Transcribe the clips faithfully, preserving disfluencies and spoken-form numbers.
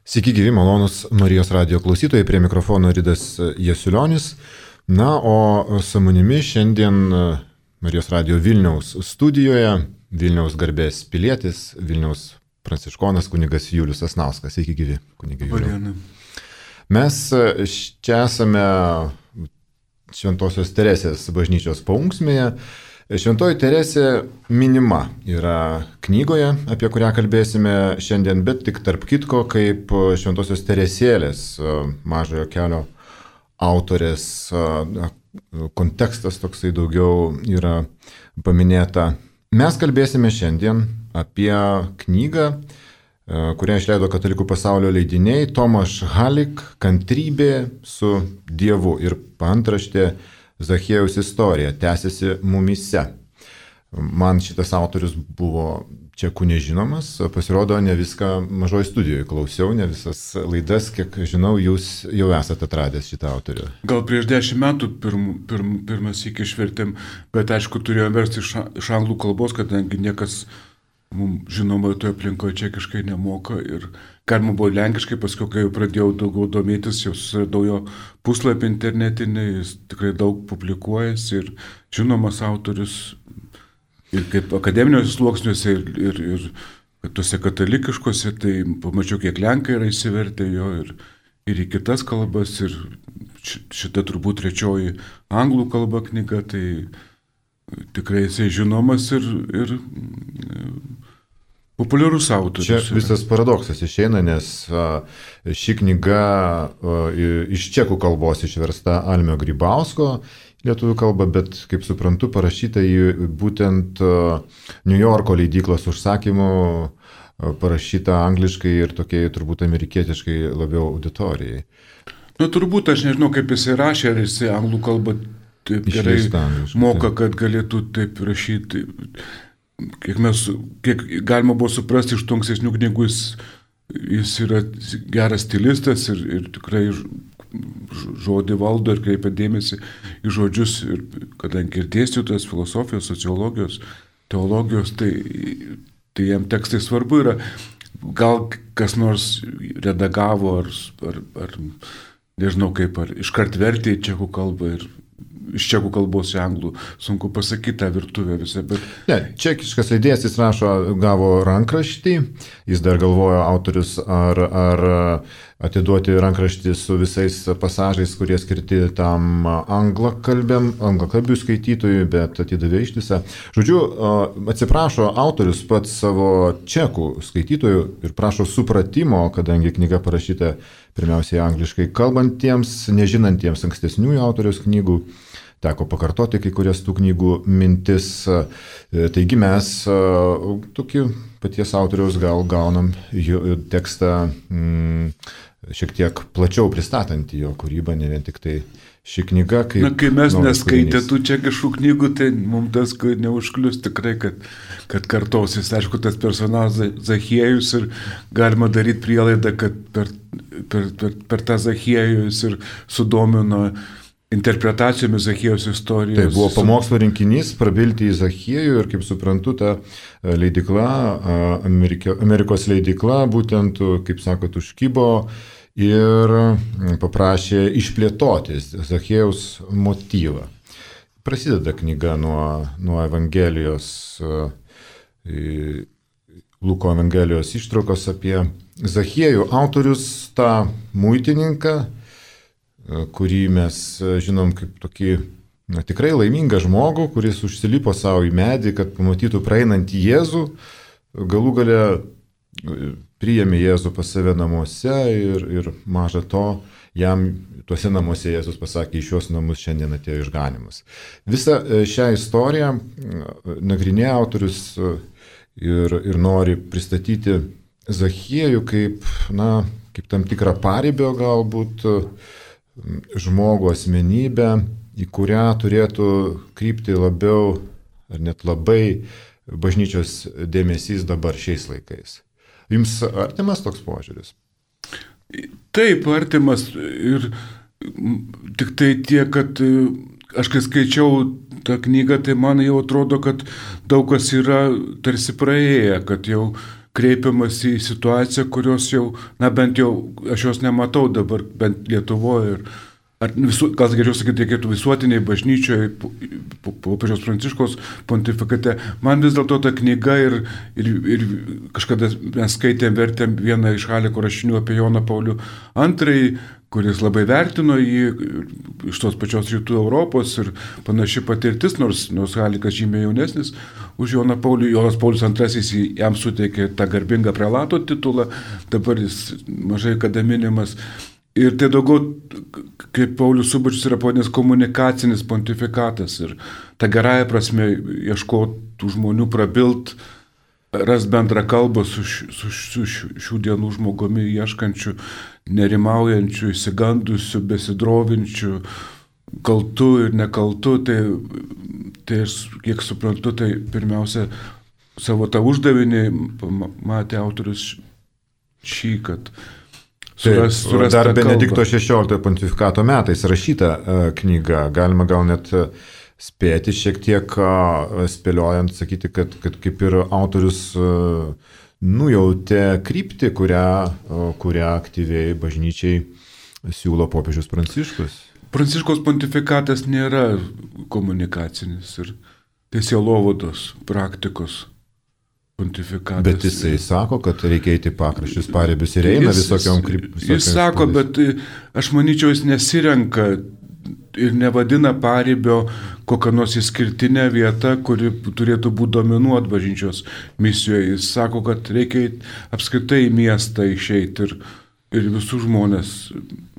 Sveiki gyvi, malonus Marijos radijo klausytojai, prie mikrofono Ridas Jasiulionis. Na, o su manimi šiandien Marijos radijo Vilniaus studijoje, Vilniaus garbės pilietis, Vilniaus pranciškonas kunigas Julius Sasnauskas. Sveiki gyvi, kunigai Julius. Mes čia esame Šventosios Teresės bažnyčios paunksmėje. Šventoji Teresė minima yra knygoje, apie kurią kalbėsime šiandien, bet tik tarp kitko kaip Šventosios Teresėlės mažojo kelio autorės kontekstas toksai daugiau yra paminėta. Mes kalbėsime šiandien apie knygą, kurią išleido Katalikų pasaulio leidiniai Tomaš Halik Kantrybė su Dievu ir paantraštė Zachiejaus istorija tęsiasi mumyse. Man šitas autorius buvo čekų nežinomas, pasirodo, ne viską mažoje studijoje klausiau, ne visas laidas, kiek žinau, jūs jau esate atradęs šitą autorių. Gal prieš dešimt metų pirm, pirm, pirmas iki išvertėm, bet aišku turėjom versti iš, iš anglų kalbos, kadangi niekas mums žinoma toje aplinkoje čekiškai nemoka ir galima buvo lenkiškai, paskui kai jau pradėjau daugiau domėtis, jau susiradau jo puslapį internetinį, jis tikrai daug publikuojasi ir žinomas autorius ir kaip akademiniuose sluoksniuose ir, ir, ir tuose katalikiškose, tai pamačiau, kiek lenkai yra įsivertę jo ir, ir į kitas kalbas ir šita turbūt trečioji anglų kalba knyga, tai tikrai jisai žinomas ir, ir populiarus autorius. Čia visas paradoksas išeina, nes ši knyga iš čekų kalbos išversta Almio Grybausko lietuvių kalba, bet, kaip suprantu, parašyta į būtent New Yorko leidyklos užsakymu, parašyta angliškai ir tokiai turbūt amerikietiškai labiau auditorijai. Na, turbūt aš nežinau, kaip jisai rašė, ar jisai anglų kalbą taip gerai moka, kad galėtų taip rašyti. Kiek, mes, kiek galima buvo suprasti iš tų ankstesnių knygų, jis, jis yra geras stilistas ir, ir tikrai žodį valdo ir kreipia dėmesį į žodžius, ir, kadangi ir dėstytojas filosofijos, sociologijos, teologijos, tai, tai jam tekstai svarbu yra. Gal kas nors redagavo ar, ar, ar nežinau kaip, ar iškart vertė į čekų kalbą ir iš čekų kalbos į anglų, sunku pasakyti tą virtuvę visą, bet... Ne, čekiškas leidėjas, jis rašo, gavo rankraštį, jis dar galvojo autorius, ar, ar atiduoti rankraštį su visais pasažais, kurie skirti tam anglakalbiam, anglakalbių skaitytojui, bet atidavė ištisą. Žodžiu, atsiprašo autorius pats savo čekų skaitytojų ir prašo supratimo, kadangi knyga parašyta pirmiausiai angliškai kalbantiems, nežinantiems ankstesniųjų autoriaus knygų. Teko pakartoti kai kurias tų knygų mintis. Taigi mes tokį paties autoriaus gal gaunam tekstą mm, šiek tiek plačiau pristatantį jo kūrybą, ne vien tik tai ši knyga. Kaip Na, kai mes neskaitė tų čekiškų knygų, tai mums tas neužklius tikrai, kad, kad kartosis. Aišku, tas personažas Zachiejus ir galima daryti prielaidą, kad per, per, per, per tą Zachiejų jis ir sudomino interpretacijomis Zachiejaus istorijos. Tai buvo pamokslo rinkinys prabilti į Zachiejų ir, kaip suprantu, ta leidykla, Amerikio, Amerikos leidykla, būtent, kaip sakot, užkybo ir paprašė išplėtoti Zachiejaus motyvą. Prasideda knyga nuo, nuo Evangelijos, Luko Evangelijos ištraukos apie Zachiejų. Autorius tą muitininką, kurį mes žinom kaip tokį na, tikrai laimingą žmogų, kuris užsilipo savo į medį, kad pamatytų praeinantį Jėzų, galų gale priėmė Jėzų pas save namuose ir, ir maža to, jam tuose namuose Jėzus pasakė, iš šios namus šiandien atėjo išganimas. Visą šią istoriją nagrinėja autorius ir, ir nori pristatyti Zachiejų kaip, na, kaip tam tikrą paribio galbūt, žmogų asmenybę, į kurią turėtų krypti labiau ar net labai bažnyčios dėmesys dabar šiais laikais. Jums artimas toks požiūris? Taip, artimas ir tik tai tiek, kad aš kai skaičiau tą knygą, tai man jau atrodo, kad daug kas yra tarsi praėję, kad jau kreipiamas į situaciją, kurios jau, na bent jau aš jos nematau dabar, bent Lietuvoje. Ir, ar visu, gal geriau sakyti, reikėtų visuotiniai bažnyčioje, popiežiaus Pranciškaus pontifikate. Man vis dėlto ta knyga ir, ir, ir kažkada mes skaitėm, vertėm vieną iš Haliko rašinių apie Joną Paulių antrąjį, kuris labai vertino jį iš tos pačios rytų Europos ir panaši patirtis, nors, nors Halikas žymiai jaunesnis už Joną Paulių. Jonas Paulius antrasis jam suteikė tą garbingą prelato titulą, dabar jis mažai kada minimas. Ir tai daugiau, kaip Paulius Subačius yra pavadinęs, komunikacinis pontifikatas ir ta gerąja prasme ieškotų žmonių prabilt, ras bendrą kalbą su, su, su šių dienų žmogumi ieškančių, nerimaujančių, įsigandusių, besidrovinčių, kaltų ir nekaltų. Tai, tai aš, kiek suprantu, tai pirmiausia savo tą uždavinį matė autorius šį, kad Suras, suras dar Benedikto šešioliktojo pontifikato metais rašyta uh, knyga, galima gal net uh, spėti šiek tiek uh, spėliojant, sakyti, kad, kad kaip ir autorius uh, nujautė kryptį, kurią, uh, kurią aktyviai bažnyčiai siūlo popiežius Pranciškus. Pranciškaus pontifikatas nėra komunikacinis ir sielovados praktikos pontifikatas. Bet jisai sako, kad reikia eiti pakraščius, paribius ir eina jis, visokiom kryptimis. Jis sako, bet aš manyčiau, jis nesirenka ir nevadina paribio kokią nors išskirtinę vietą, kuri turėtų būti dominuot bažnyčios misijoje. Jis sako, kad reikia apskritai į miestą išeiti ir, ir visus žmonės,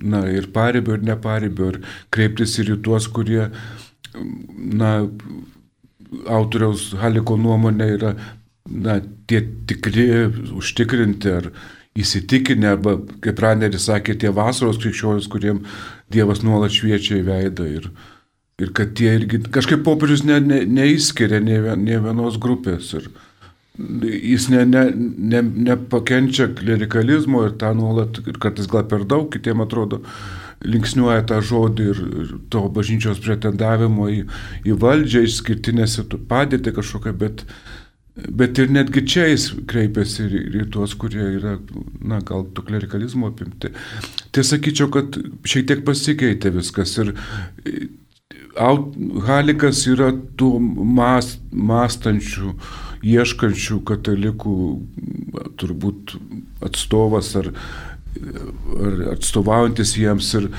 na, ir paribio, ir neparibio, ir kreiptis ir į tuos, kurie, na, autoriaus Haliko nuomonė yra, na, tie tikri, užtikrinti ar įsitikinę, arba, kaip Raneris sakė, tie vasaros krikščionys, kuriem Dievas nuolat šviečia į veidą ir, ir kad tie irgi, kažkaip popiežius ne, ne, neįskiria nė, nė vienos grupės ir jis ne, ne, ne, nepakenčia klerikalizmo ir tą nuolat, ir kartais gal per daug, kitiem atrodo, linksniuoja tą žodį ir, ir to bažnyčios pretendavimo į, į valdžią, išskirtinę padėtį kažkokią, bet Bet ir netgi čia jis kreipiasi ir, ir tuos, kurie yra, na, gal to klerikalizmo apimti. Tai sakyčiau, kad šiek tiek pasikeitė viskas ir Halikas yra tų mas, mąstančių, ieškančių katalikų turbūt atstovas ar, ar atstovaujantis jiems ir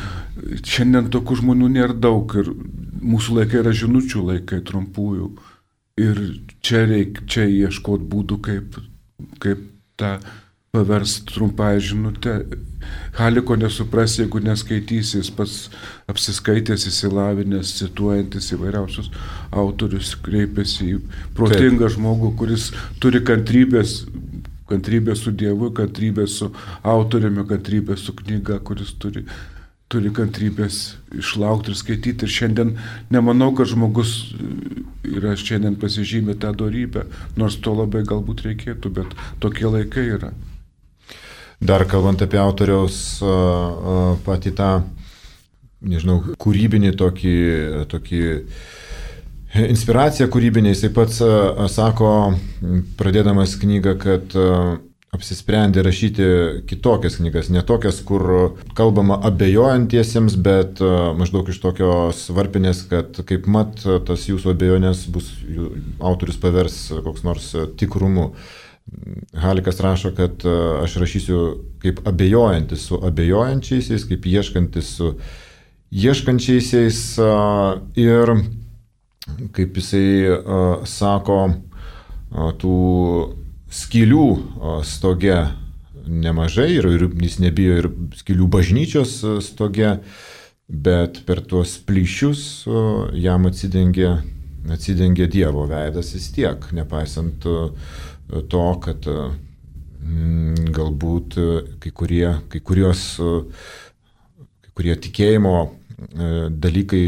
šiandien tokių žmonių nėra daug ir mūsų laikai yra žinučių laikai, trumpųjų. Ir čia reikia čia ieškoti būdų, kaip, kaip tą paversti trumpąją žinutę. Haliko nesupras, jeigu neskaitysi, jis pats apsiskaitęs, įsilavinęs, cituojantis įvairiausius autorius, kreipiasi į protingą Taip. žmogų, kuris turi kantrybės, kantrybės su Dievu, kantrybės su autoriumi, kantrybės su knyga, kuris turi, turi kantrybės išlaukti ir skaityti. Ir šiandien nemanau, kad žmogus yra šiandien pasižymė tą dorybę, nors to labai galbūt reikėtų, bet tokie laikai yra. Dar kalbant apie autoriaus patį tą, nežinau, kūrybinį tokį, tokį inspiraciją kūrybinį, jisai pats sako, pradėdamas knygą, kad apsisprendė rašyti kitokias knygas, ne tokias, kur kalbama abejojantiesiems, bet maždaug iš tokios varpinės, kad kaip mat tas jūsų abejonės bus, autorius pavers koks nors tikrumu. Halikas rašo, kad aš rašysiu kaip abejojantis su abejojančiaisiais, kaip ieškantis su ieškančiaisiais ir kaip jisai sako, tų skylių stoge nemažai ir, ir jis nebijo ir skylių bažnyčios stoge, bet per tuos plyšius jam atsidengė, atsidengė Dievo veidas vis tiek, nepaisant to, kad mm, galbūt kai kurie, kai kurios, kai kurie tikėjimo dalykai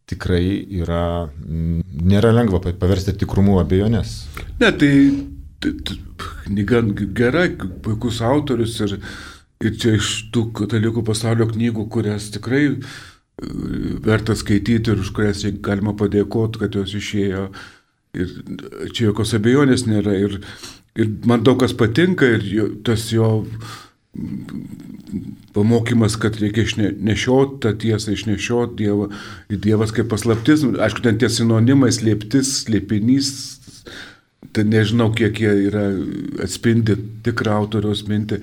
tikrai yra, nėra lengva paversti tikrumu abejonės. Ne, tai knyga gera, puikus autorius ir, ir čia iš tų katalikų pasaulio knygų, kurias tikrai verta skaityti ir už kurias galima padėkoti, kad jos išėjo. Ir čia jokios abejonės nėra. Ir ir man daug kas patinka ir jo, tas jo pamokymas, kad reikia išnešioti tą tiesą, išnešioti Dievą, Dievas kaip paslaptis, aišku, ten tie sinonimai, slėptis, slėpinys, tai nežinau, kiek jie yra atspindi tikrą autoriaus mintį,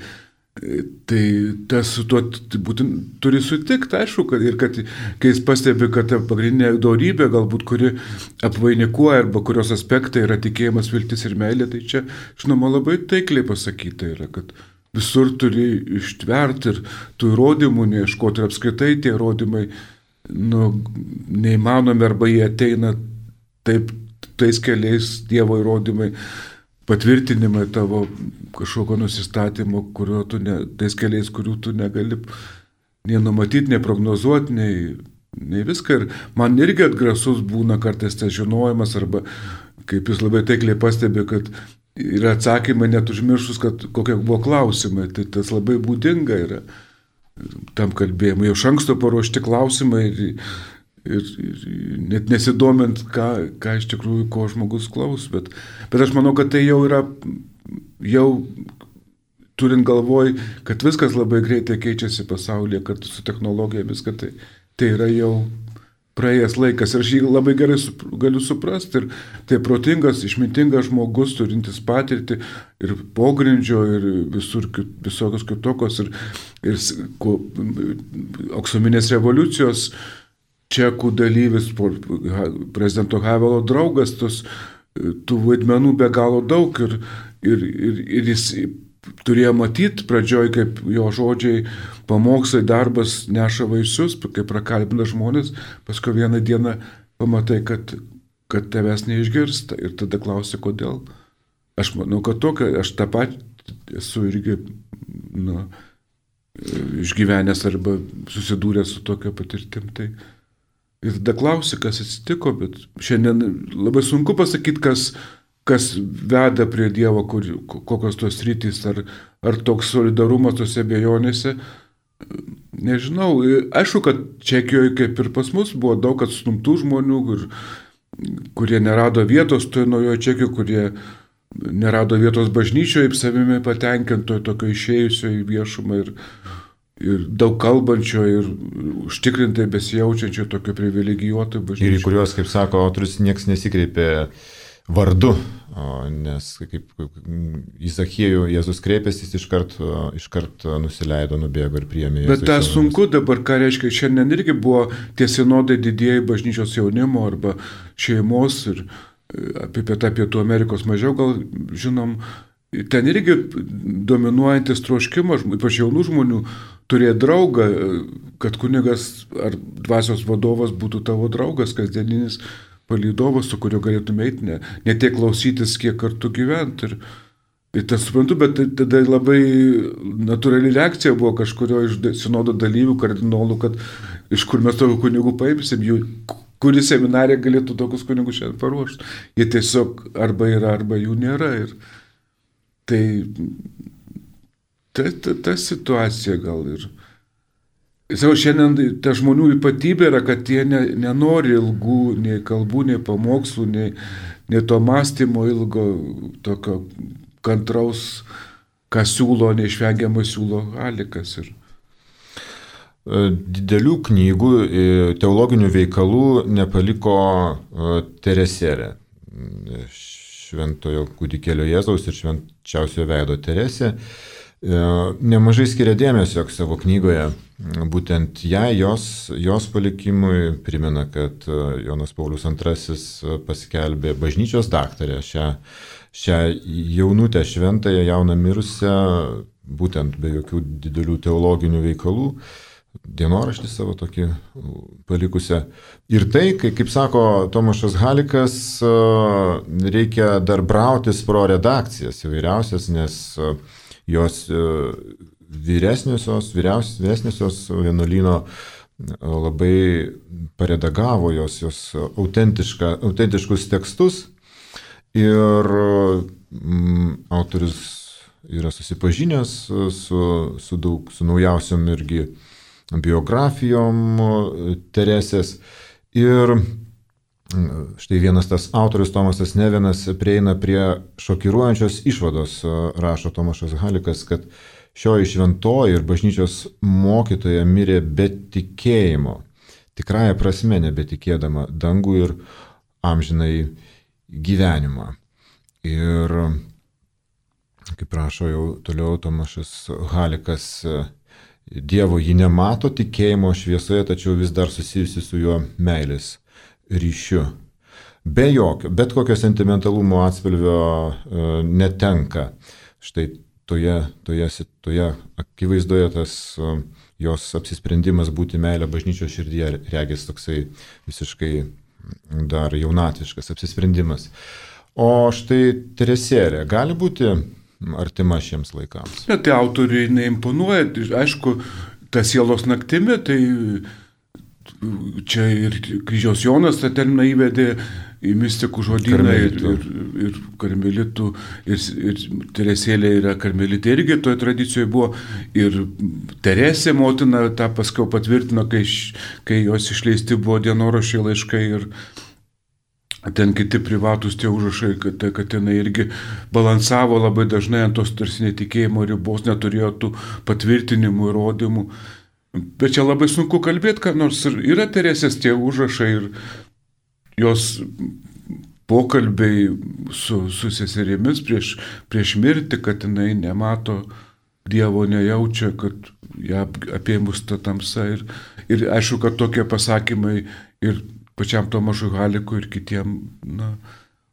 tai tas su tuo būtent turi sutikti, aišku, kad, ir kad kai jis pastebi, kad ta pagrindinė dorybė, galbūt kuri apvainikuoja arba kurios aspektai yra tikėjimas, viltis ir meilė, tai čia, žinoma, labai taikliai pasakyta yra, kad visur turi ištverti ir tų įrodymų neieškoti ir apskritai tie įrodymai nu, neįmanomi arba jie ateina taip tais keliais Dievo įrodymai, patvirtinimai tavo kažkokio nusistatymo, kurio tu ne, tais keliais, kurių tu negali nei numatyti, nei prognozuoti, nei, nei viską. Ir man irgi atgrasus būna kartais tas žinojimas arba kaip jis labai taikliai pastebi, kad yra atsakymai net užmiršus, kad kokie buvo klausimai. Tai tas labai būdinga yra tam kalbėjimui. Jau iš anksto paruošti klausimai ir, ir, ir net nesidomint, ką, ką iš tikrųjų, ko žmogus klaus. Bet, bet aš manau, kad tai jau yra, jau turint galvoj, kad viskas labai greitai keičiasi pasaulyje, kartu su technologija, viską tai, tai yra jau praėjęs laikas ir aš jį labai gerai sup, galiu suprasti ir tai protingas, išmintingas žmogus, turintis patirtį ir pogrindžio ir visur visokios kitokios ir, ir ko, aksominės revoliucijos čekų dalyvis, prezidento Havelo draugas, tos, tų vaidmenų be galo daug ir, ir, ir, ir jis turėjo matyti pradžioj, kaip jo žodžiai, pamokslai, darbas neša vaisius, kaip prakalbina žmonės, paskui vieną dieną pamatai, kad, kad tavęs neišgirsta ir tada klausi, kodėl. Aš manau, kad tokia, aš tą pat esu irgi nu, išgyvenęs arba susidūręs su tokia patirtim. Tai ir tada klausi, kas atsitiko, bet šiandien labai sunku pasakyti, kas kas veda prie Dievo, kur, kokios tos rytys, ar, ar toks solidarumas tose abejonėse, nežinau. Aišku, kad Čekijoje, kaip ir pas mus, buvo daug atstumtų žmonių, kur, kurie nerado vietos toje naujoje Čekijoje, kurie nerado vietos bažnyčioje, savimi patenkintoje, tokio išėjusio į viešumą ir, ir daug kalbančio ir užtikrintai besijaučiančio, tokio privilegijuoto bažnyčioje. Ir į kuriuos, kaip sako autorius, niekas nesikreipė vardu, nes kaip į Zachiejų Jėzus kreipėsi, jis iškart, iškart nusileido, nubėgo ir priėmė Jėzus. Bet tas sunku dabar, ką reiškia, šiandien irgi buvo tie sinodai didieji bažnyčios jaunimo arba šeimos ir apie Pietą Pietų Amerikos mažiau gal žinom, ten irgi dominuojantis troškimas, ypač jaunų žmonių, turėjo draugą, kad kunigas ar dvasios vadovas būtų tavo draugas kasdieninis, palydovas, su kuriuo galėtume eiti, ne, ne tiek klausytis, kiek kartu gyventi. Ir, ir tas suprantu, bet tada labai natūrali reakcija buvo kažkurio iš sinodo dalyvių, kardinolų, kad iš kur mes tokių kunigų paimsim, jų, kuri seminarija galėtų tokius kunigus šiandien paruošti. Jie tiesiog arba yra, arba jų nėra. Ir tai ta, ta, ta situacija gal ir... Savo šiandien ta žmonių ypatybė yra, kad jie ne, nenori ilgų nei kalbų, nei pamokslų, nei, nei to mąstymo ilgo, tokio kantraus, ką siūlo, neišvengiamai siūlo Halikas. Ir... Didelių knygų, teologinių veikalų nepaliko Teresėlė, Šventojo kūdikėlio Jėzaus ir švenčiausio veido Teresė. Nemažai skiria dėmesio savo knygoje būtent ją, jos, jos palikimui, primena, kad Jonas Paulius antrasis paskelbė bažnyčios daktarę, šią, šią jaunutę šventąją, jauną mirusią, būtent be jokių didelių teologinių veikalų, dienoraštį savo tokį palikusią. Ir tai, kaip, kaip sako Tomašas Halikas, reikia dar brautis pro redakcijas įvairiausias, nes jos vyresniosios, vyresniosios vienuolyno labai paredagavo jos, jos autentiškus tekstus ir mm, autorius yra susipažinęs su, su, daug, su naujausiom irgi biografijom Teresės ir štai vienas tas autorius Tomasas Nevinas prieina prie šokiruojančios išvados, rašo Tomašas Halikas, kad šioji šventoji ir bažnyčios mokytoja mirė be tikėjimo, tikrąja prasme nebetikėdama dangų ir amžinai gyvenimą. Ir kaip rašo jau toliau Tomašas Halikas, Dievo ji nemato tikėjimo šviesoje, tačiau vis dar susijusi su juo meilės ryšiu. Be jokio, bet kokio sentimentalumo atspalvio e, netenka. Štai toje, toje, toje akivaizdoje tas e, jos apsisprendimas būti meilė bažnyčios širdyje regis toksai visiškai dar jaunatviškas apsisprendimas. O štai Teresėlė gali būti artima šiems laikams. Bet tai autoriui neimponuoja, aišku, ta sielos naktimi, tai čia ir Kryžiaus Jonas tą terminą įvedė į mistikų žodyną ir, ir, ir karmelitų, ir, ir Teresėlė yra karmelitė irgi toje tradicijoje buvo, ir Teresė motina tą paskiau patvirtino, kai, kai jos išleisti buvo dienoraščiai, laiškai ir ten kiti privatus tie užrašai, kad, kad jinai irgi balansavo labai dažnai ant tos tarsi netikėjimo ribos, neturėjo tų patvirtinimų, įrodymų. Bet čia labai sunku kalbėti, kad nors yra Teresės tie užrašai ir jos pokalbiai su, su seserimis prieš, prieš mirtį, kad jinai nemato Dievo, nejaučia, kad ją apėmus ta tamsa. Ir, ir aišku, kad tokie pasakymai ir pačiam Tomašui Halikui ir kitiem, na,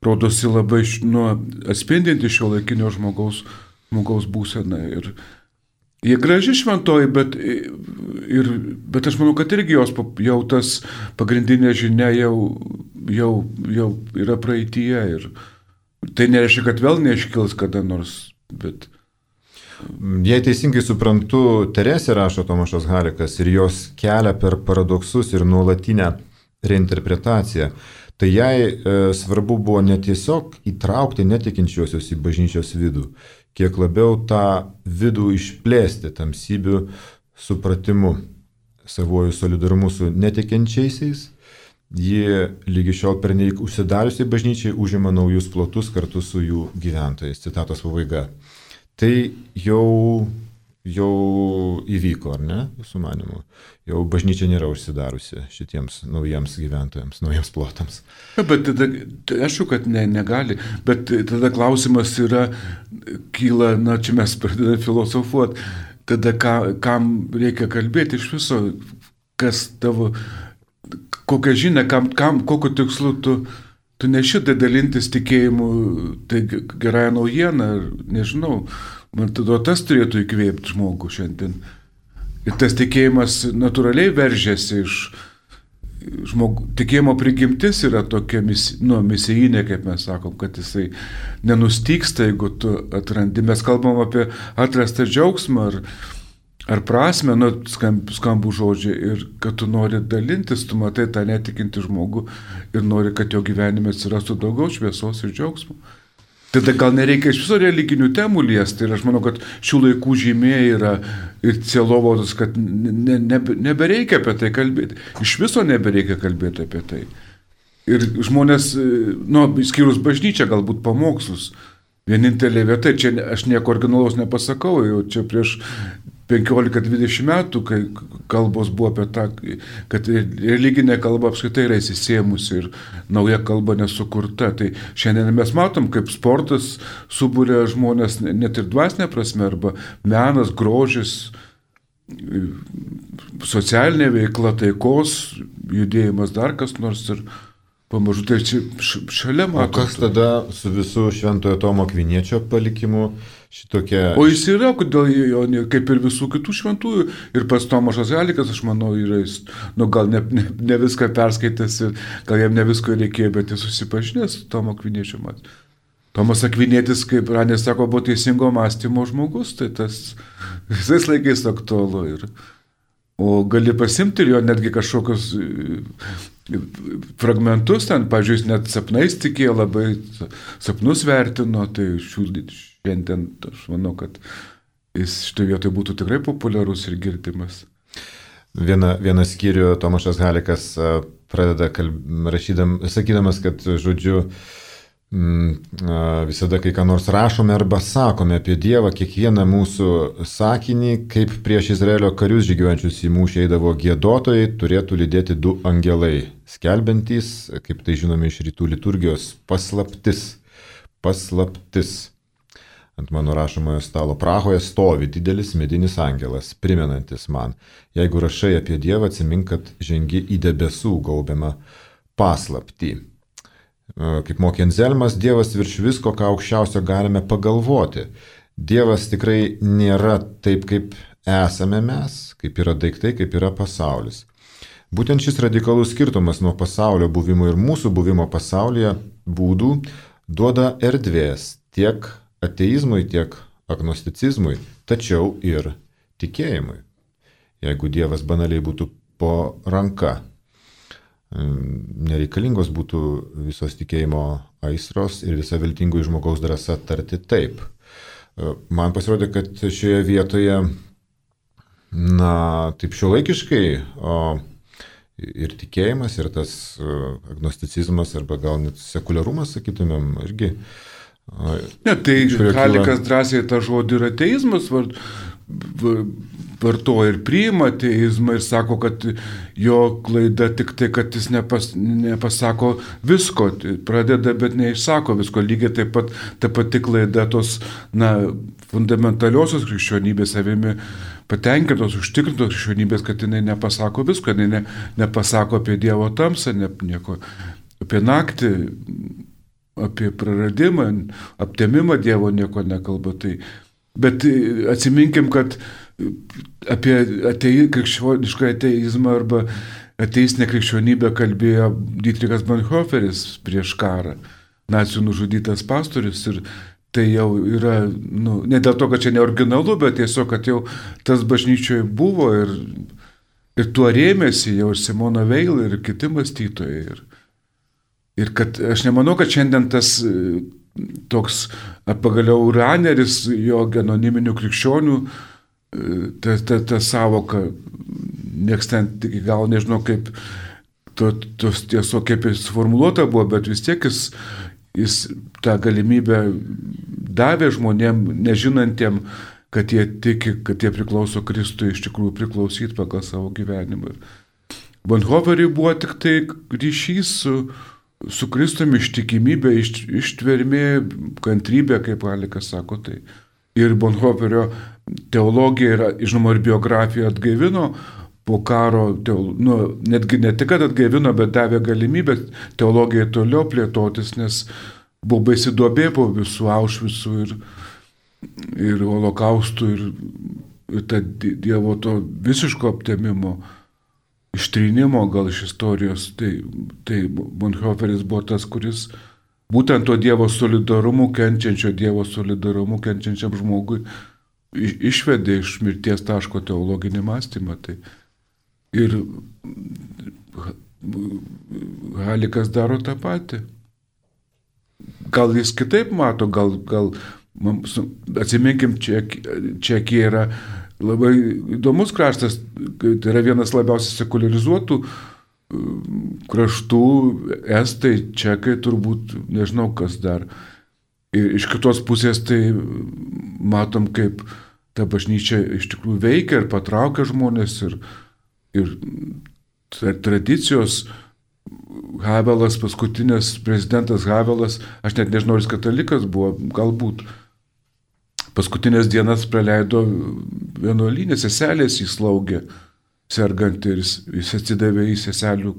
rodosi labai nu, atspindinti šio laikinio žmogaus, žmogaus būseną. Ir jie graži šventoji, bet, ir, bet aš manau, kad irgi jos jau tas pagrindinė žinia jau, jau, jau yra praeityje. Ir tai nereiškia, kad vėl neiškils kada nors, bet... Jei teisingai suprantu, Teresė, rašo Tomašas Halikas, ir jos kelia per paradoksus ir nuolatinę reinterpretacija, tai jai e, svarbu buvo ne tiesiog įtraukti netikinčiuosius į bažnyčios vidų, kiek labiau tą vidų išplėsti tamsybių supratimu, savojų solidarumu su netikinčiaisiais. Ji lygi šiol pernelyg užsidariusiai bažnyčiai užima naujus plotus kartu su jų gyventojais. Citatos pabaiga. Tai jau jau įvyko, ar ne, jūsų manimu? Jau bažnyčia nėra užsidariusi šitiems naujiems gyventojams, naujiems plotams. Ja, bet tada, aišku, kad ne, negali, bet tada klausimas yra, kyla, na, čia mes pradedame filosofuoti, tada ka, kam reikia kalbėti iš viso, kas tavo, kokią žinią, kam, kam, kokiu tikslu tu, tu nešitai dalintis tikėjimu, tai gerąją naujieną, nežinau, man tada tas turėtų įkvėpti žmogų šiandien. Ir tas tikėjimas natūraliai veržiasi iš žmogų. Tikėjimo prigimtis yra tokia misi, nu, misijinė, kaip mes sakom, kad jisai nenustyksta, jeigu tu atrandi. Mes kalbam apie atrastą džiaugsmą ar, ar prasme, nu, skamb, skambų žodžiai, ir kad tu nori dalintis, tu matai tą netikinti žmogų ir nori, kad jo gyvenime atsirastų daugiau šviesos ir džiaugsmo. Tada gal nereikia iš viso religinių temų liesti. Ir aš manau, kad šių laikų žymė yra ir sielovados, kad ne, ne, nebereikia apie tai kalbėti. Iš viso nebereikia kalbėti apie tai. Ir žmonės, nu, skyrus bažnyčią, galbūt pamokslus. Vienintelė vieta, čia aš nieko originalaus nepasakau, jau čia prieš penkiolika dvidešimt metų, kai kalbos buvo apie tą, kad religinė kalba apskritai yra įsisėmusi ir nauja kalba nesukurta. Tai šiandien mes matom, kaip sportas subūrė žmonės net ir dvasinė prasme, arba menas, grožis, socialinė veikla, taikos, judėjimas, dar kas nors ir pamažu tai čia šalia matom. O kas tada su visų Šventojo Tomo Akviniečio palikimu šitokia... O jis yra, kodėl jo, kaip ir visų kitų šventųjų, ir pats Tomašas Halikas, aš manau, yra, jis, nu, gal ne, ne, ne viską perskaitęs ir gal jam ne visko reikėjo, bet jis susipažinęs su Tomo Akviniečio mat. Tomas Akvinietis, kaip Ranės sako, buvo teisingo mąstymo žmogus, tai tas visais laikais aktualu. Ir, o gali pasimti ir jo netgi kažkokius fragmentus, ten, pavyzdžiui, net sapnais tikėjo, labai sapnus vertino, tai šių, šiandien aš manau, kad jis šitoje vietoje būtų tikrai populiarus ir girdimas. Vieną, vieną skyrių Tomašas Halikas pradeda kalb... rašydam, sakydamas, kad, žodžiu, visada, kai ką nors rašome arba sakome apie Dievą, kiekvieną mūsų sakinį, kaip prieš Izraelio karius žygiuojančius į mūšį eidavo giedotojai, turėtų lydėti du angelai, skelbiantys, kaip tai žinome iš rytų liturgijos, paslaptis. Paslaptis. Ant mano rašomojo stalo Prahoje stovi didelis medinis angelas, primenantis man, jeigu rašai apie Dievą, atsimink, kad žengi į debesų gaubiamą paslaptį. Kaip mokė Anzelmas, Dievas virš visko, ką aukščiausio galime pagalvoti. Dievas tikrai nėra taip, kaip esame mes, kaip yra daiktai, kaip yra pasaulis. Būtent šis radikalus skirtumas nuo pasaulio buvimo ir mūsų buvimo pasaulyje būdų duoda erdvės tiek ateizmui, tiek agnosticizmui, tačiau ir tikėjimui. Jeigu Dievas banaliai būtų po ranka, nereikalingos būtų visos tikėjimo aistros ir visa viltingų žmogaus drąsa tarti taip. Man pasirodė, kad šioje vietoje, na, taip šiuolaikiškai, o ir tikėjimas, ir tas agnosticizmas, arba gal net sekuliarumas, sakytumėm, irgi. Ne, tai Halikas drąsiai tą žodį ir ateizmas vart, vartoja ir priima ateizmą ir sako, kad jo klaida tik tai, kad jis nepas, nepasako visko, pradeda, bet neišsako visko. Lygiai taip pat ta pati klaida tos, na, fundamentaliosios krikščionybės savimi patenkintos, užtikrintos krikščionybės, kad jinai nepasako visko, jinai ne, nepasako apie Dievo tamsą, ne, nieko, apie naktį, apie praradimą, aptemimą Dievo nieko nekalba. Tai, bet atsiminkim, kad apie atei, krikščionišką ateizmą arba ateistinę krikščionybę kalbėjo Dietrichas Bonhoefferis prieš karą, nacių nužudytas pastorius, ir tai jau yra, nu, ne dėl to, kad čia neoriginalu, bet tiesiog, kad jau tas bažnyčioje buvo ir, ir tuo rėmėsi jau ir Simona Veil ir kiti mąstytojai. Ir, ir kad aš nemanau, kad šiandien tas toks, pagaliau Raneris, jo anoniminių krikščionių, ta, ta, ta savoka, nieks ten iki gal nežinau, kaip to, tos tiesiog kaip jis formuluota buvo, bet vis tiek jis, jis tą galimybę davė žmonėm, nežinantiem, kad jie tiki, kad jie priklauso Kristui, iš tikrųjų priklausyti pagal savo gyvenimą. Bonhoefferiui buvo tik tai ryšys su, su Kristumi, ištikimybė, iš, ištvermė, kantrybė, kaip Halikas sako. Tai. Ir Bonhoefferio teologija ir, žinoma, ir biografija atgaivino po karo, teolo, nu, netgi ne tik atgaivino, bet davė galimybę teologijai toliau plėtotis, nes buvo baisi duobė po visų Aušvicų ir, ir holokaustų ir, ir ta Dievo to visiško aptemimo, ištrynimo gal iš istorijos. Tai, tai Bonhoefferis buvo tas, kuris būtent to Dievo solidarumu, kenčiančio Dievo solidarumu, kenčiančiam žmogui išvedė iš mirties taško teologinį mąstymą. Tai ir Halikas daro tą patį. Gal jis kitaip mato, gal, gal atsiminkim, Čekija yra labai įdomus kraštas, tai yra vienas labiausiai sekularizuotų kraštų, estai, čekai, turbūt, nežinau kas dar. Ir iš kitos pusės tai matom, kaip ta bažnyčia iš tikrųjų veikia ir patraukia žmonės ir, ir tradicijos. Havelas, paskutinės prezidentas Havelas, aš net nežinau, jis katalikas buvo, galbūt. Paskutinės dienas praleido vienuolyne, seselės jį slaugė, sergant, ir jis, jis atsidavė į seselių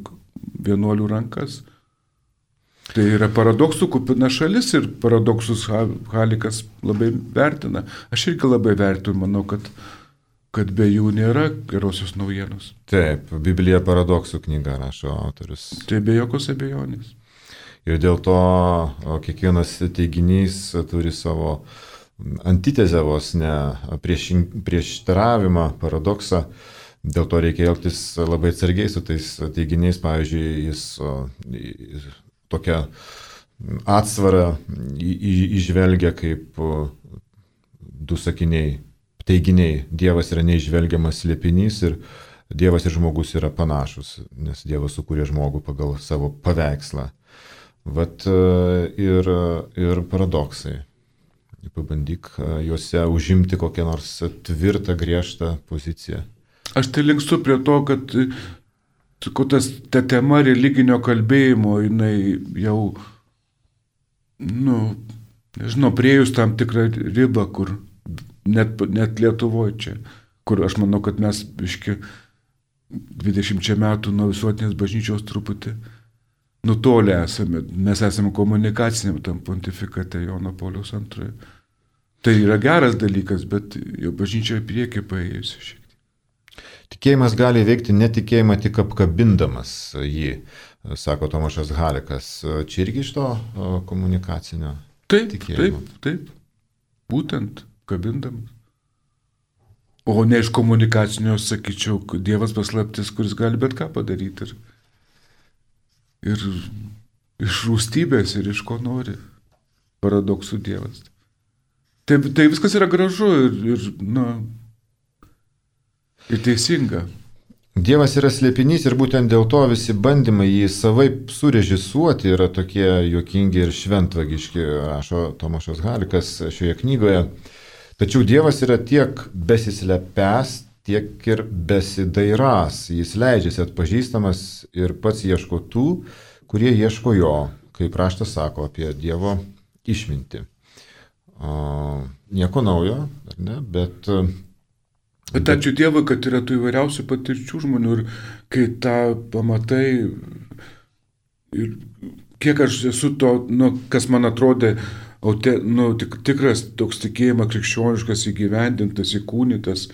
vienuolių rankas. Tai yra paradoksų kupina šalis ir paradoksus Halikas labai vertina. Aš irgi labai vertinu, manau, kad, kad be jų nėra gerosios naujienos. Taip, Biblija paradoksų knyga rašo autorius. Tai be jokios abejonės. Ir dėl to kiekvienas teiginys turi savo antitezę vos, ne prieštaravimą, paradoksą. Dėl to reikia elgtis labai atsargiai su tais teiginiais. Pavyzdžiui, jis, jis tokią atsvarą įžvelgia kaip du sakiniai, teiginiai. Dievas yra neižvelgiamas slėpinys ir Dievas ir žmogus yra panašus, nes Dievas sukūrė žmogų pagal savo paveikslą. Vat ir, ir paradoksai. Pabandyk juose užimti kokią nors tvirtą, griežtą poziciją. Aš tai linkstu prie to, kad tas, ta tema religinio kalbėjimo, jinai jau, nu, nežinau, priejus tam tikrą ribą, kur net, net Lietuvoje čia, kur aš manau, kad mes biški dvidešimčia metų nuo visuotinės bažnyčios truputį nutolę esame. Mes esame komunikaciniam tam pontifikate Jono Pauliaus antrojo. Tai yra geras dalykas, bet jau bažnyčia į priekį paėjusi šiek tiek. Tikėjimas gali veikti netikėjimą tik apkabindamas jį, sako Tomašas Halikas. Čia irgi iš to komunikacinio taip, tikėjimo? Taip, taip. Būtent kabindamas. O ne iš komunikacinio, sakyčiau, Dievas paslaptis, kuris gali bet ką padaryti. Ir, ir iš rūstybės, ir iš ko nori. Paradoksų Dievas. Tai, tai viskas yra gražu ir, ir, na, ir teisinga. Dievas yra slėpinys ir būtent dėl to visi bandymai jį savaip surežisuoti yra tokie juokingi ir šventvagiški, rašo Tomašas Halikas šioje knygoje. Tačiau Dievas yra tiek besislepęs, tiek ir besidairas. Jis leidžiasi atpažįstamas ir pats ieško tų, kurie ieško jo, kaip raštas sako apie Dievo išmintį. O, nieko naujo, ar ne, bet... Bet ačiū Dievui, kad yra tų įvairiausių patirčių žmonių ir kai tą pamatai ir kiek aš esu to, nu, kas man atrodė, aute, nu, tik, tikras toks tikėjimas krikščioniškas, įgyvendintas, įkūnytas,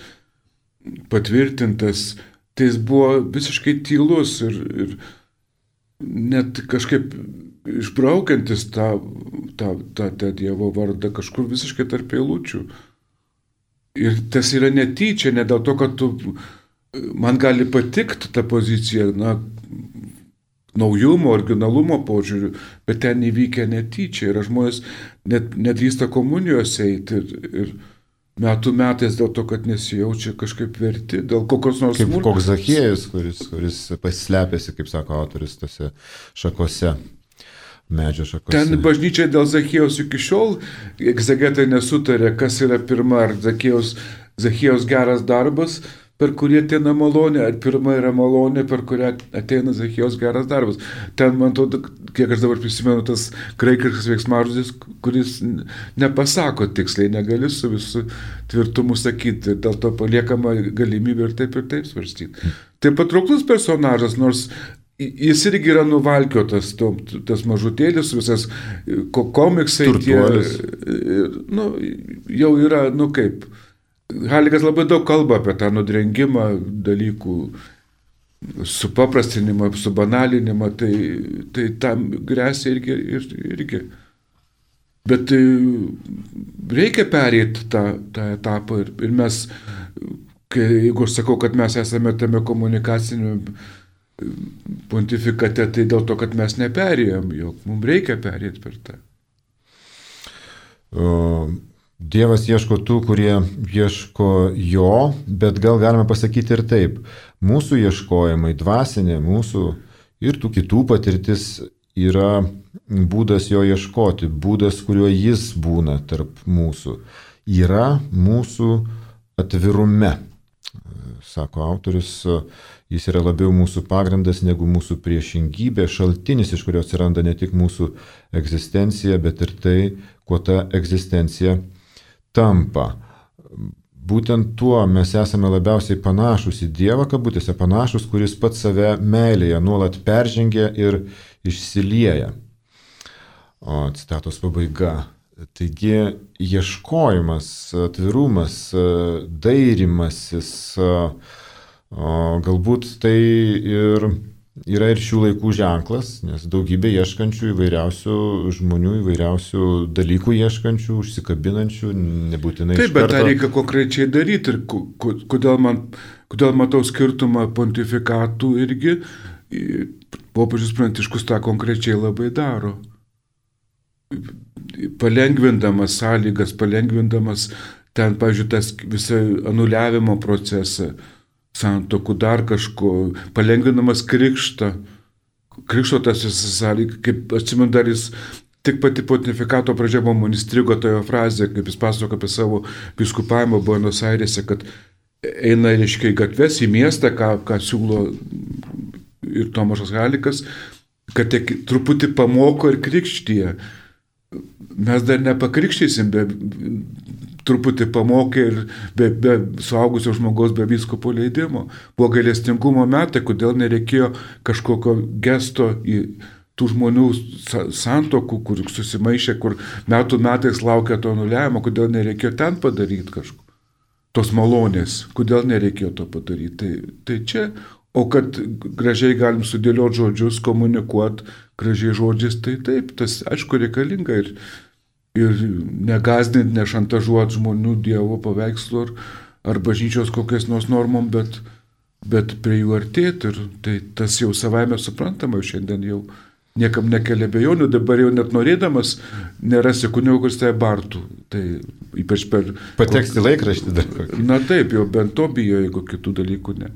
patvirtintas, tai jis buvo visiškai tylus ir, ir net kažkaip išbraukiantis tą, tą, tą, tą Dievo vardą kažkur visiškai tarp eilučių. Ir tas yra netyčia, ne dėl to, kad tu, man gali patikti ta pozicija, na, naujumo, originalumo požiūrių, bet ten įvykę netyčia. Ir žmonės net nedrįsta komunijos eiti ir, ir metų metais dėl to, kad nesijaučia kažkaip verti, dėl kokios nors smulkmenos. Kaip koks Zachiejus, kuris, kuris pasislepėsi, kaip sako autorius, tose šakose. Medžio šakose. Ten bažnyčia dėl Zachiejaus iki šiol egzegetai nesutarė, kas yra pirma, ar Zachiejaus, Zachiejaus geras darbas, per kurį ateina malonė, ar pirma yra malonė, per kurią ateina Zachiejaus geras darbas. Ten, man atrodo, kiek aš dabar prisimenu, tas graikiškas veiksmažodis, kuris nepasako tiksliai, negali su visu tvirtumu sakyti, dėl to paliekama galimybė ir taip ir taip svarstyti. Tai patrauklus personažas, nors jis irgi yra nuvalkiotas, to, tas mažutėlis, visas komiksai, tie, nu, jau yra, nu kaip, Halikas labai daug kalba apie tą nudrengimą dalykų, supaprastinimą, subanalinimą, tai, tai tam grėsia irgi, irgi. Bet reikia pereiti tą, tą etapą ir, ir mes, kai, jeigu aš sakau, kad mes esame tame komunikaciniu pontifikate, tai dėl to, kad mes neperėjom, jog mums reikia perėti per tą. Dievas ieško tų, kurie ieško jo, bet gal galime pasakyti ir taip. Mūsų ieškojimai, dvasinė mūsų ir tų kitų patirtis yra būdas jo ieškoti, būdas, kuriuo jis būna tarp mūsų. Yra mūsų atvirume. Sako autorius, jis yra labiau mūsų pagrindas negu mūsų priešingybė, šaltinis, iš kurio atsiranda ne tik mūsų egzistencija, bet ir tai, kuo ta egzistencija tampa. Būtent tuo mes esame labiausiai panašus į Dievą, kabutėse panašus, kuris pats save meilėje nuolat peržengia ir išsilieja. O citatos pabaiga. Taigi ieškojimas, atvirumas, dairimasis, galbūt tai ir yra ir šių laikų ženklas, nes daugybė ieškančių įvairiausių žmonių, įvairiausių dalykų ieškančių, užsikabinančių, nebūtinai taip, iš karto. Bet tą reikia konkrečiai daryti ir kodėl, man, kodėl matau skirtumą pontifikatų irgi, popiežius Pranciškus tą konkrečiai labai daro. Palengvindamas sąlygas, palengvindamas ten, pavyzdžiui, tas visą anuliavimo procesą, santokų, dar kažko, palengvinamas krikštą. Krikšto tas visas sąlyg, kaip atsimenu, dar jis tik pati pontifikato pradžia man įstrigo toje frazė, kaip jis pasako apie savo vyskupavimą Buenos Airėse, kad eina, reiškia, į gatves, į miestą, ką, ką siūlo ir Tomašas Halikas, kad tiek truputį pamoko ir krikštyje. Mes dar nepakrikštysim, be, truputį pamokė ir be, be suaugusio žmogaus, be vyskupo leidimo. Buvo gailestingumo metai, kodėl nereikėjo kažkokio gesto į tų žmonių santokų, kur susimaišė, kur metų metais laukia to nuleimo, kodėl nereikėjo ten padaryti kažko. Tos malonės, kodėl nereikėjo to padaryti. Tai, tai čia, o kad gražiai galim sudėlioti žodžius, komunikuoti gražiai žodžiais, tai taip, tas aišku reikalinga ir, ir negazdinti, nešantažuoti žmonių Dievo paveikslo ar, ar bažnyčios kokias nors normom, bet, bet prie jų artėti. Ir tai tas jau savaime suprantama, šiandien jau niekam nekelia abejonių, dabar jau net norėdamas nerasi kunigo, kuris tai bartų. Tai ypač per... Pateksti laikraštį dar. Na taip, jau bent to bijo, jeigu kitų dalykų ne.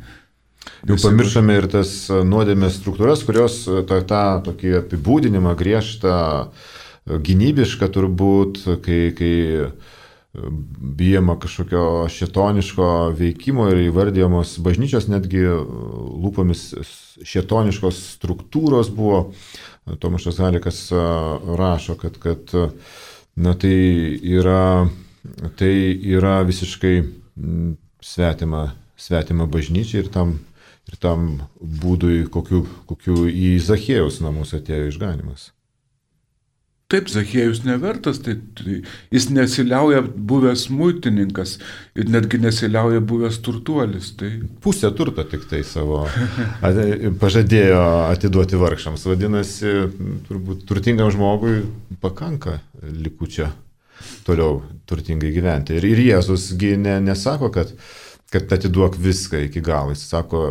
Jau pamiršome ir tas nuodėmės struktūras, kurios tą, tą tokį apibūdinimą griežtą, gynybišką turbūt, kai, kai bijama kažkokio šėtoniško veikimo ir įvardyjamos bažnyčios netgi lūpomis šėtoniškos struktūros buvo. Tomašas Halikas rašo, kad, kad na, tai, yra, tai yra visiškai svetima, svetima bažnyčia ir tam, ir tam būdui, kokiu, kokiu į Zachiejaus namus atėjo išganimas. Taip, Zachiejus nevertas, tai, tai jis nesiliauja buvęs muitininkas ir netgi nesiliauja buvęs turtuolis. Tai... Pusę turto tik tai savo pažadėjo atiduoti vargšams. Vadinasi, turbūt turtingam žmogui pakanka likučio toliau turtingai gyventi. Ir, ir Jėzusgi ne, nesako, kad, kad atiduok viską iki galo. Jis sako,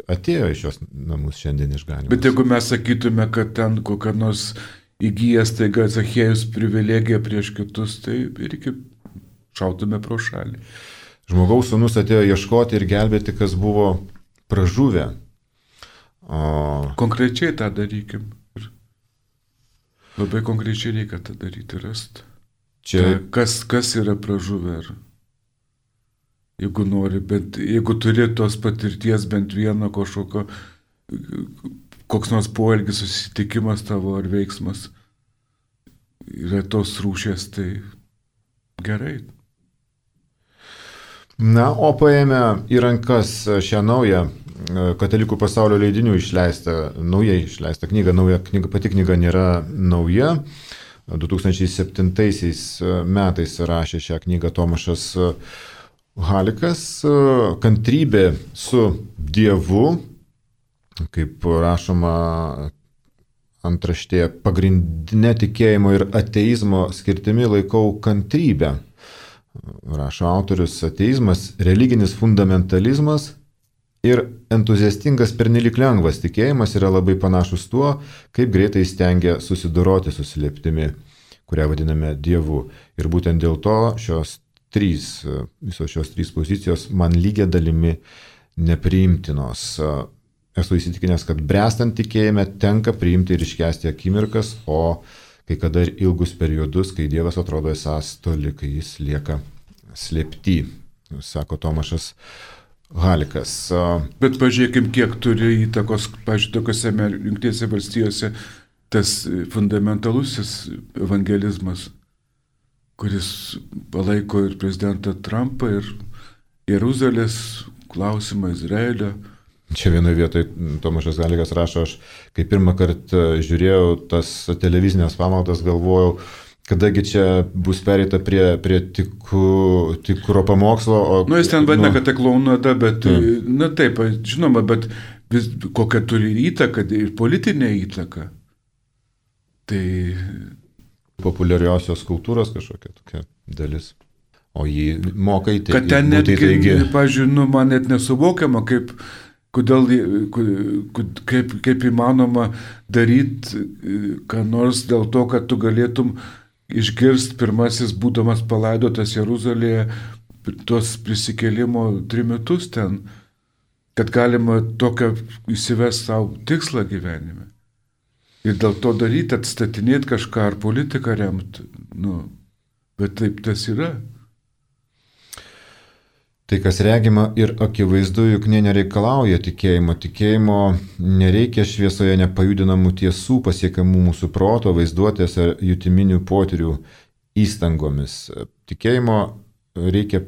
atėjo iš šios namus šiandien išganimas. Bet jeigu mes sakytume, kad ten kokia nors įgyjęs taiga Zachiejus privilegiją prieš kitus, tai irgi šautume pro šalį. Žmogaus sūnus atėjo ieškoti ir gelbėti, kas buvo pražuvę. O... Konkrečiai tą darykim. Ir labai konkrečiai reikia tą daryti, rasti. Čia... Ta, kas, kas yra pražuvę. Ir jeigu nori, bent, jeigu turi tos patirties bent vieno kažkokio, koks nors poelgis, susitikimas tavo ar veiksmas yra tos rūšies, tai gerai. Na, o paėmę į rankas šią naują Katalikų pasaulio leidinių išleistą, naujai išleistą knygą, nauja knyga, pati knyga nėra nauja. du tūkstančiai septintaisiais metais rašė šią knygą Tomašas Halikas, Kantrybė su Dievu. Kaip rašoma antraštėje, pagrindinė tikėjimo ir ateizmo skirtimi laikau kantrybę. Rašo autorius, ateizmas, religinis fundamentalizmas ir entuziastingas pernelyg lengvas tikėjimas yra labai panašus tuo, kaip greitai stengia susidoroti su slėptimi, kurią vadiname Dievu. Ir būtent dėl to šios trys, visos šios trys pozicijos man lygia dalimi nepriimtinos. Esu įsitikinęs, kad bręstant tikėjime tenka priimti ir iškęsti akimirkas, o kai kada ir ilgus periodus, kai Dievas atrodo esąs toli, kai jis lieka slėpty, sako Tomašas Halikas. Bet pažiūrėkim, kiek turi įtakos, pažiūrėk, tokiose Jungtinėse valstijose tas fundamentalusis evangelizmas, kuris palaiko ir prezidentą Trumpą, ir Jeruzalės klausimą, Izraelio. Čia vienoje vietoje Tomašas Halikas rašo, aš kai pirmą kartą žiūrėjau tas televizinės pamaldas, galvojau, kadagi čia bus pereita prie, prie tikų, tikro pamokslo. O, nu, jis ten vadina, nu, kad tai klaunada, bet, taip. Na taip, žinoma, bet vis, kokią turi įtaką ir politinę įtaką. Tai... Populiariosios kultūros kažkokia tokia dalis. O jį moka įteikti. Kad ten netgi, pažiūrėjau, nu, man net nesuvokiama, kaip... Kodėl, kaip, kaip įmanoma daryti ką nors dėl to, kad tu galėtum išgirsti pirmasis, būdamas palaidotas Jeruzalėje, tuos prisikėlimo trimitus ten. kad galima tokią įsivesti savo tikslą gyvenime. Ir dėl to daryti, atstatinėti kažką ar politiką remti. Nu, bet taip tas yra. Tai, kas regima ir akivaizdu, juk nė nereikalauja tikėjimo. Tikėjimo nereikia šviesoje nepajudinamų tiesų pasiekiamų mūsų proto, vaizduotės ar jutiminių potyrių įstangomis. Tikėjimo reikia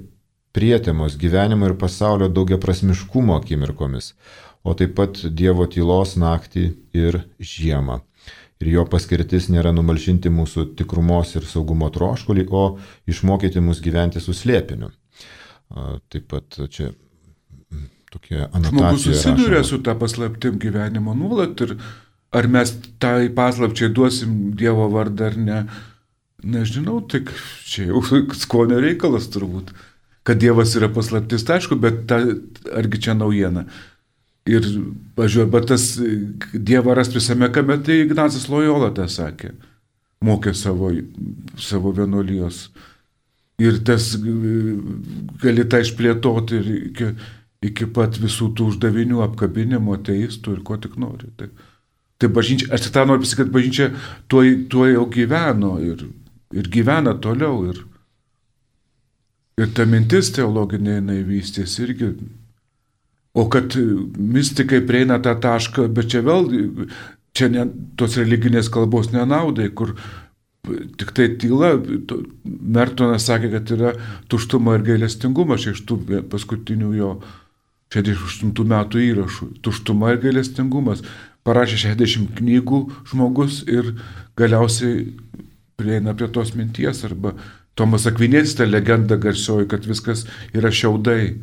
prietemos gyvenimo ir pasaulio daugiaprasmiškumo akimirkomis, o taip pat Dievo tylos naktį ir žiemą. Ir jo paskirtis nėra numalšinti mūsų tikrumos ir saugumo troškulį, o išmokyti mus gyventi su slėpiniu. Taip pat čia tokia anotacija. Žmogus susiduria su tą paslaptim gyvenimo nuolat ir ar mes tai paslapčiai duosim Dievo vardą ar ne, nežinau, tik čia jau skonio reikalas turbūt. Kad Dievas yra paslaptis, tai aišku, bet ta, argi čia naujiena. Ir, važiuoju, bet tas Dievą rast visame kame, tai Ignacas Lojola tą sakė, mokė savo, savo vienuolijos. Ir tas gali tą išplėtoti ir iki, iki pat visų tų uždavinių apkabinimo, ateistų ir ko tik nori. Tai, tai bažnyčia, aš tą noriu pasakyti, kad bažnyčia tuo, tuo jau gyveno ir, ir gyvena toliau. Ir, Ir ta mintis teologinė jinai vystės irgi. O kad mistikai prieina tą tašką, bet čia vėl, čia ne, tos religinės kalbos nenaudai, kur tik tai tyla. Mertonas sakė, kad yra tuštuma ir gailestingumas iš tų paskutinių jo šešiasdešimt aštuntų metų įrašų. Tuštuma ir gailestingumas. Parašė šešiasdešimt knygų žmogus ir galiausiai prieina prie tos minties arba Tomas Akvinietis ta legenda garsioji, kad viskas yra šiaudai,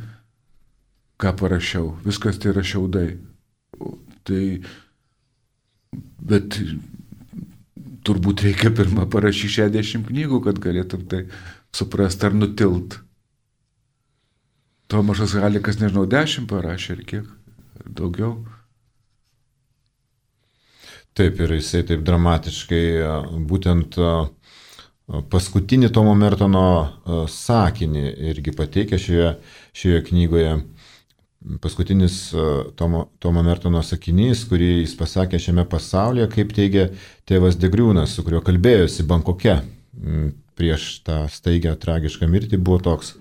ką parašiau, viskas tai yra šiaudai. Tai, bet turbūt reikia pirmą parašyti šešiasdešimt knygų, kad galėtum tai suprasti ar nutilt. Tomašas Halikas, nežinau, dešimt parašė ar kiek, ar daugiau. Taip, ir jisai taip dramatiškai būtent paskutinį Tomo Mertono sakinį irgi pateikia šioje, šioje knygoje. Paskutinis Tomo, Tomo Mertono sakinys, kurį jis pasakė šiame pasaulyje, kaip teigia tėvas Degriūnas, su kuriuo kalbėjosi Bankoke prieš tą staigę tragišką mirtį, buvo toks: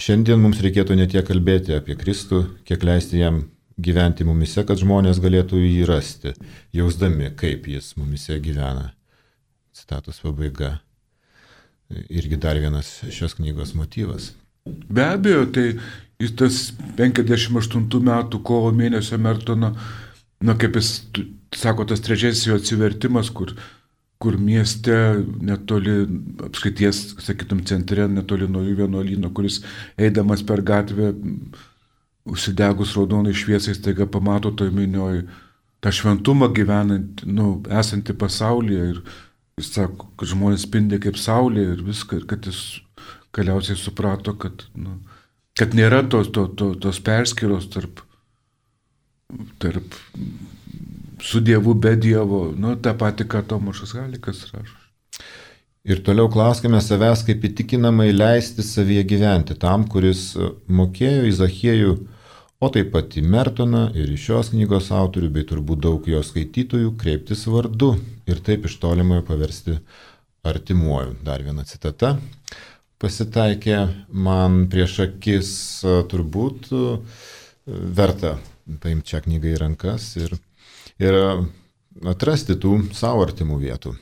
šiandien mums reikėtų ne tiek kalbėti apie Kristų, kiek leisti jam gyventi mumise, kad žmonės galėtų jį rasti, jausdami, kaip jis mumise gyvena. Citatos pabaiga. Irgi dar vienas šios knygos motyvas. Be abejo, tai jis tas penkiasdešimt aštuntų metų kovo mėnesio Mertono, na kaip jis sako, tas trečiasis jo atsivertimas, kur, kur mieste netoli apskrities, sakytum, centre, netoli nuo jų vienuolyno, kuris eidamas per gatvę, užsidegus raudonai šviesai, staiga pamato toj minioj tą šventumą gyvenant, nu, esantį pasaulyje ir jis sako, kad žmonės spindi kaip saulė ir viską, ir kad jis galiausiai suprato, kad, nu, kad nėra tos, to, to, tos perskyros tarp, tarp su Dievu, be Dievo, nu, tą patį, ką Tomašas Halikas rašo. Ir toliau klauskime savęs, kaip įtikinamai leisti savyje gyventi tam, kuris mokėjo į Zachiejų, o taip pat į Mertoną ir į šios knygos autorių, bei turbūt daug jo skaitytojų, kreiptis vardu ir taip iš tolimojo paversti artimuoju. Dar viena citata pasitaikė man prieš akis, turbūt verta paimti šią knygą į rankas ir, ir atrasti tų savo artimų vietų.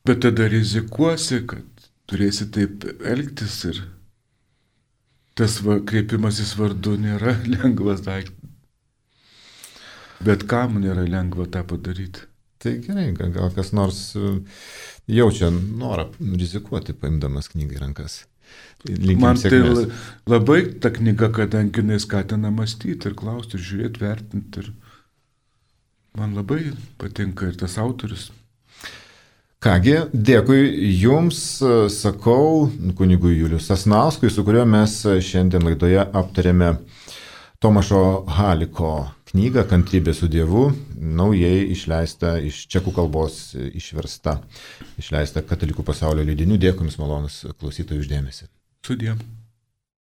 Bet tada rizikuosi, kad turėsi taip elgtis ir tas va, kreipimasis vardu nėra lengvas daiktas. Bet kam nėra lengva tą padaryti? Tai gerai, gal kas nors jaučia norą rizikuoti, paimdamas knygą į rankas. Linkim Man tai sėkmės. labai ta knyga, kadangi jinai skatina mąstyti ir klausti, ir žiūrėti, vertinti. Ir man labai patinka ir tas autorius. Kągi, dėkui Jums, sakau, kunigui Juliui Sasnauskui, su kuriuo mes šiandien laidoje aptarėme Tomašo Haliko knygą Kantrybė su Dievu, naujai išleista iš čekų kalbos išversta, išleista Katalikų pasaulio leidinių. Dėkui Jums, malonus klausytojų, už dėmesį. Sudie.